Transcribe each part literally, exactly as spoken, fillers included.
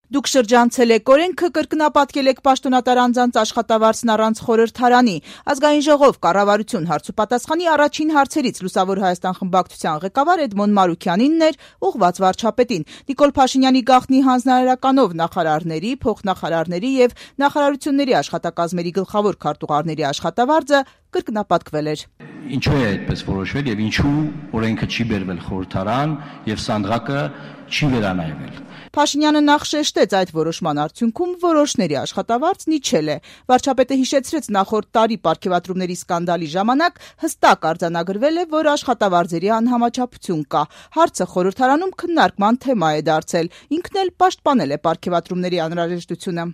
Դուք շրջանցել եք օրենքը, կրկնապատկել եք պաշտոնատար անձանց աշխատավարձն առանց խորհրդարանի։ Ազգային ժողով կառավարություն հարցուպատասխանի առաջին հարցերից Լուսավոր Հայաստան խմբակցության ղեկավար Էդմոն Մարուքյանինն էր ուղղված վարչապետին։ Նիկոլ Փաշինյանի գաղտնի հանձնարարականով նախարարների, փոխնախարարների եւ նախարարությունների աշխատակազմերի գլխավոր քարտուղարների աշխատավարձը կրկնապատկվել էր։ Ինչու է այդպես որոշվել եւ ինչու օրենքը չի բերվել խորհրդարան եւ սանդղակը չի վերանայվել։ Փաշինյանը նախ շեշտեց այդ որոշման արդյունքում որոշների աշխատավարձն իջել է։ Վարչապետը հիշեցրեց նախորդ տարի պարգևատրումների սկանդալի ժամանակ հստակ արձանագրվել է, որ աշխատավարձերի անհամաչափություն կա։ Հարցը խորհրդարանում քննարկման թեմա է դարձել։ Ինքն էլ պաշտպանել է պարգևատրումների անհրաժեշտությունը։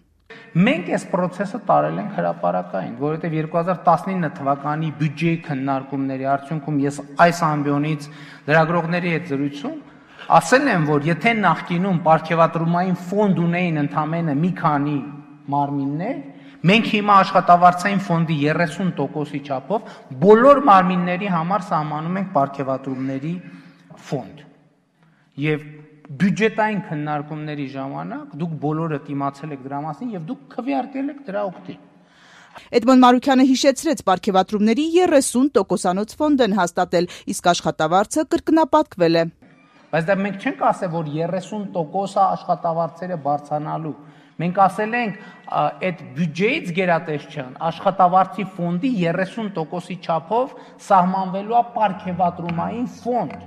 Մենք այս process-ը տարել ենք հրապարակային, որովհետև երկու հազար տասնինը թվականի բյուջեի քննարկումների արդյունքում ես այս ամբիոնից լրագրողների հետ զրույցում ասել եմ, որ եթե նախկինում պարգևատրումային ֆոնդ ունեին ընդամենը մի քանի մարմիններ, մենք հիմա աշխատավարձային ֆոնդի երեսուն տոկոսի չափով բոլոր մարմինների համար սահմանում ենք պարգևատրումների ֆոնդ։ Եվ բյուջետային քննարկումների ժամանակ դուք բոլորը իմացել եք դրա մասին եւ դուք քվեարկել եք դրա օգտին։ Էդմոն Մարուքյանը հիշեցրեց պարգևատրումների երեսուն տոկոսանոց ֆոնդ են հաստատել, իսկ աշխատավարձը կրկնապատկվել է։ Բայց դա մենք չենք ասել, որ երեսուն տոկոս աշխատավարձերը բարձրանալու։ Մենք ասել ենք, այդ բյուջեից գերատեսչության աշխատավարձի ֆոնդի երեսուն տոկոսի չափով սահմանվելու է պարգևատրումային ֆոնդ։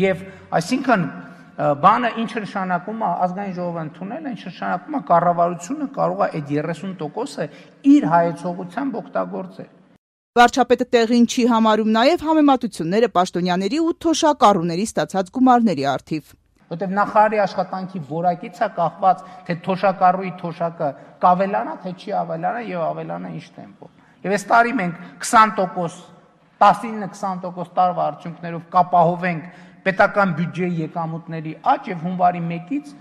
Եվ այսինքն բանը ինչ նշանակում է ազգային ժողովը ընդունել, ինչ նշանակում է կառավարությունը կարող է այդ երեսուն տոկոսը իր հայեցողությամբ օգտագործել։ Վարչապետը տեղին չի համարում նաև համեմատությունները պաշտոնյաների ու թոշակառուների ստացած գումարների առթիվ։ Որտեւ նախարարի աշխատանքի որակից է կախված, թե թոշակառուի թոշակը կավելանա, թե չի ավելանա եւ ավելանա ինչ տեմպով։ Եվ այս տարի մենք քսան տոկոս, տասնինը քսան տոկոս տարվա արդյունքներով կապահովենք պետական բյուջեի եկամուտների աճ եւ հունվարի մեկից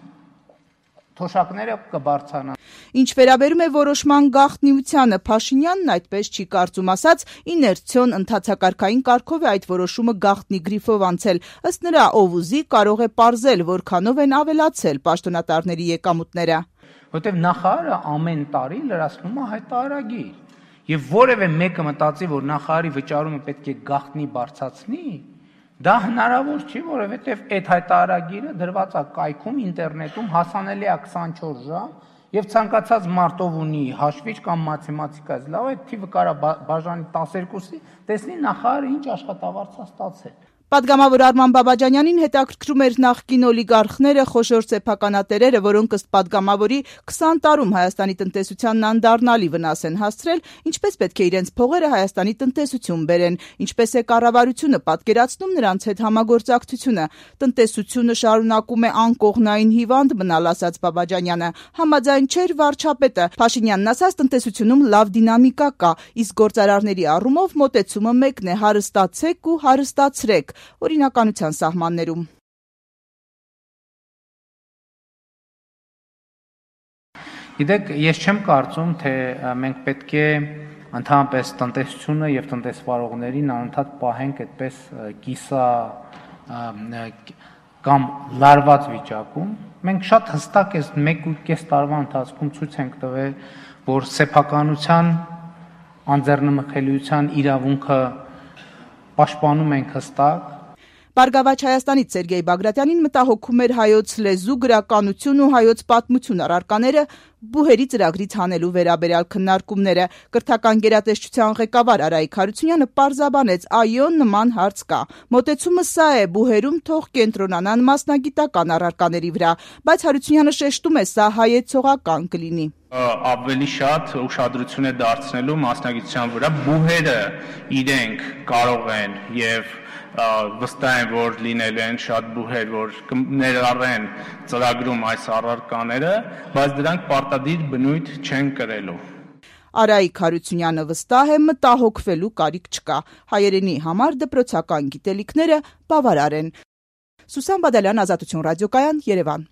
թոշակները կբարձրանան։ Ինչ վերաբերում է որոշման գաղտնիությանը, Փաշինյանն այդպես չի կարծում, ասաց, իներցիոն ընթացակարգային կարգով է այդ որոշումը գաղտնի գրիֆով անցել։ Ըստ նրա, ով ուզի կարող է պարզել, որքանով են ավելացել պաշտոնատարների եկամուտները։ Որտեւ նախարարը ամեն տարի լրացնում է հայտարարագիր։ Եվ որևէ մեկը մտածի, որ նախարարի վճարումը պետք է գաղտնի բարձրացնի, դա հնարավոր չի, որովհետև այդ հայտարարագիրը դրված է կայքում, ինտերնետում, հասանելի է քսանչորս ժամ, եւ ցանկացած մարդով ունի հաշվիչ կամ մաթեմատիկայից լավ, այդ թիվը կարա բաժանի տասներկուսի, տեսնի նախարարը ինչ աշխատավարձ է ստացել։ Պատգամավոր Արման Բաբաջանյանին հետաքրքրում էր նախկին օլիգարխները, խոշոր սեփականատերերը, որոնք ըստ պատգամավորի քսան տարում Հայաստանի տնտեսությանն անդառնալի վնաս են հասցրել, ինչպես պետք է իրենց փողերը Հայաստանի տնտեսություն բերեն, ինչպես է կառավարությունը պատկերացնում նրանց հետ համագործակցությունը։ Տնտեսությունը շարունակում է անկողնային հիվանդ մնալ, ասաց Բաբաջանյանը։ Համաձայն չէր վարչապետը։ Փաշինյանն ասաց, տնտեսությունում լավ դինամիկա կա, իսկ գործարարների առումով մոտեցումը մեկն է՝ հարստացեք ու հարստացրեք օրինականության սահմաններում։ Գիտեք, ես չեմ կարծում, թե մենք պետք է ընդհանրապես տնտեսությունը եւ տնտեսվարողներին անընդհատ պահենք այդպես կիսա կամ լարված վիճակում։ Մենք շատ հստակ այս մեկ ու կես տարվա ընթացքում ցույց ենք տվել, որ սեփականության անձեռնմխելիության իրավունքը պաշտպանում ենք հստակ։ Բարգավաճ Հայաստանից Սերգեյ Բագրատյանին մտահոգում էր հայոց լեզու, գրականություն ու հայոց պատմություն առարկաները բուհերի ծրագրից հանելու վերաբերյալ քննարկումները։ Կրթական գերատեսչության ղեկավար Արայիկ Հարությունյանը պարզաբանեց, այո, նման հարց կա։ Մոտեցումը սա է, բուհերում թող կենտրոնանան մասնագիտական առարկաների վրա, բայց Հարությունյանը շեշտում է, սա հայեցողական կլինի։ Ավելի շատ ուշադրություն է դարձնելու մասնագիտության վրա, բուհերը իրենք կարող են եւ վստահ եմ, որ լինելու են շատ բուհեր, որ ներառեն ծրագրում այս առարկաները, բայց դրանք պարտադիր բնույթ չեն կրելու։ Արայիկ Հարությունյանը վստահ է, մտահոգվելու կարիք չկա։ Հայերենի համար դպրոցական գիտելիքները բավարար են։ Սուսան Բադալյան, Ազատություն ռադիոկայան, Երևան։